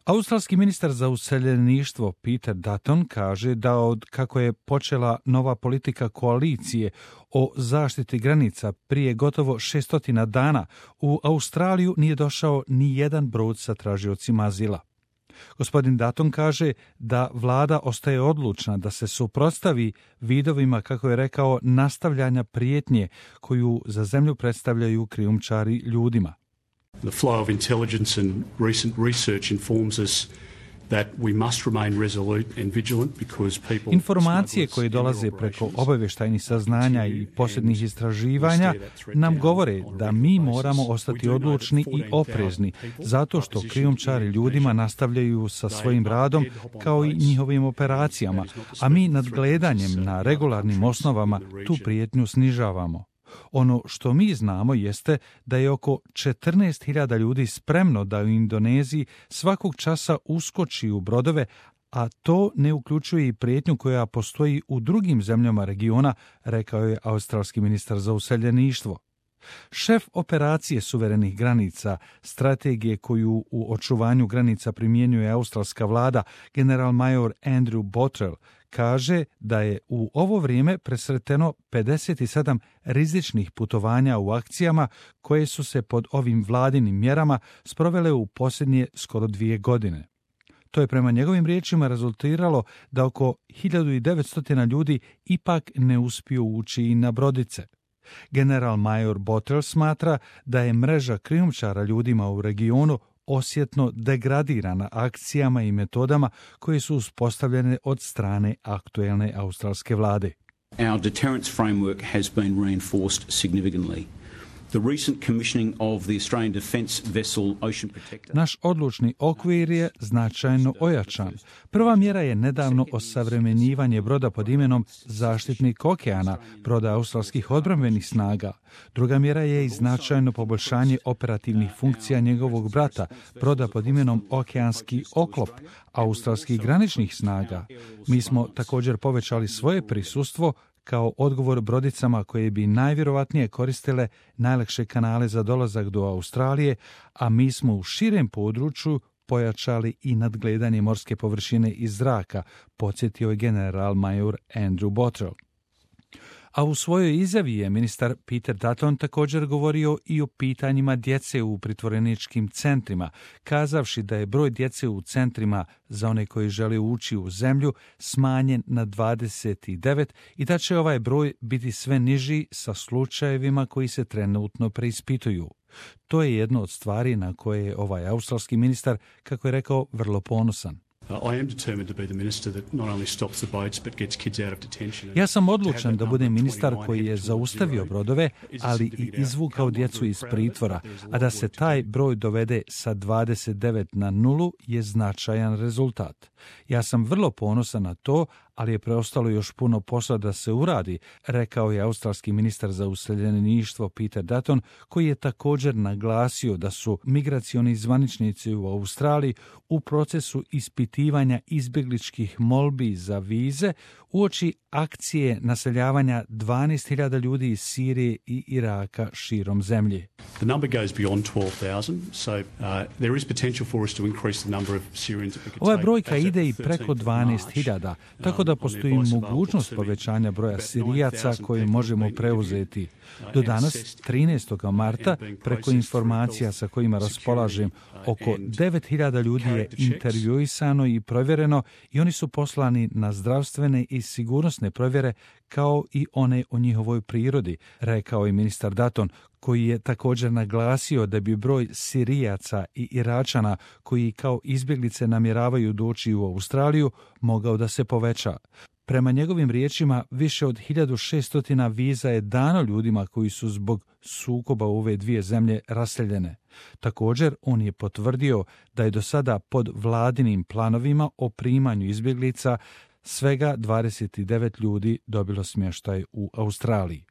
Australski ministar za useljeništvo Peter Dutton kaže da od kako je počela nova politika koalicije o zaštiti granica prije gotovo 600 dana, u Australiju nije došao ni jedan brod sa tražiocima azila. Gospodin Dutton kaže da vlada ostaje odlučna da se suprotstavi vidovima, kako je rekao, nastavljanja prijetnje koju za zemlju predstavljaju krijumčari ljudima. The flow of intelligence and recent research informs us that we must remain resolute and vigilant because people... Informacije koje dolaze preko obavještajnih saznanja i posljednjih istraživanja nam govore da mi moramo ostati odlučni i oprezni, zato što krijumčari ljudima nastavljaju sa svojim radom kao i njihovim operacijama, a mi nadgledanjem na regularnim osnovama tu prijetnju snižavamo. Ono što mi znamo jeste da je oko 14.000 ljudi spremno da u Indoneziji svakog časa uskoči u brodove, a to ne uključuje i prijetnju koja postoji u drugim zemljama regiona, rekao je australski ministar za useljeništvo. Šef operacije suverenih granica, strategije koju u očuvanju granica primjenjuje australska vlada, general-major Andrew Bottrell, kaže da je u ovo vrijeme presreteno 57 rizičnih putovanja u akcijama koje su se pod ovim vladinim mjerama sprovele u posljednje skoro 2 godine. To je prema njegovim riječima rezultiralo da oko 1900 ljudi ipak ne uspiju ući i na brodice. General-major Bottrell smatra da je mreža krijumčara ljudima u regionu osjetno degradirana akcijama i metodama koje su uspostavljene od strane aktuelne australske vlade. Our deterrence framework has been reinforced significantly. The recent commissioning of the Australian Defence Vessel Ocean Protector. Naš odlučni okvir je značajno ojačan. Prva mjera je nedavno osavremenjivanje broda pod imenom Zaštitnik okeana, broda australskih odbrambenih snaga. Druga mjera je i značajno poboljšanje operativnih funkcija njegovog brata, broda pod imenom Okeanski oklop, australskih graničnih snaga. Mi smo također povećali svoje prisustvo kao odgovor brodicama koje bi najvjerovatnije koristile najlakše kanale za dolazak do Australije, a mi smo u širem području pojačali i nadgledanje morske površine iz zraka, podsjetio je general-major Andrew Bottrell. A u svojoj izjavi je ministar Peter Dutton također govorio i o pitanjima djece u pritvoreničkim centrima, kazavši da je broj djece u centrima za one koji žele ući u zemlju smanjen na 29 i da će ovaj broj biti sve niži sa slučajevima koji se trenutno preispituju. To je jedno od stvari na koje je ovaj australski ministar, kako je rekao, vrlo ponosan. Ja sam odlučan da budem ministar koji je zaustavio brodove, ali i izvukao djecu iz pritvora, a da se taj broj dovede sa 29 na 0 je značajan rezultat. Ja sam vrlo ponosan na to, ali je preostalo još puno posla da se uradi, rekao je australski ministar za useljeništvo Peter Dutton, koji je također naglasio da su migracioni zvaničnici u Australiji u procesu ispitivanja izbjegličkih molbi za vize uoči akcije naseljavanja 12.000 ljudi iz Sirije i Iraka širom zemlje. The number goes beyond 12,000, so there is potential for us to increase the number of Syrians that we could take. Ova brojka ide i preko 12.000, tako da postoji mogućnost povećanja broja Sirijaca koje možemo preuzeti. Do danas, 13. marta, preko informacija sa kojima raspolažem, oko 9.000 ljudi je intervjuisano i provjereno i oni su poslani na zdravstvene i sigurnosne provjere kao i one o njihovoj prirodi, rekao je ministar Dutton, koji je također naglasio da bi broj Sirijaca i Iračana koji kao izbjeglice namjeravaju doći u Australiju mogao da se poveća. Prema njegovim riječima, više od 1600 viza je dano ljudima koji su zbog sukoba u ove dvije zemlje raseljene. Također, on je potvrdio da je do sada pod vladinim planovima o primanju izbjeglica svega 29 ljudi dobilo smještaj u Australiji.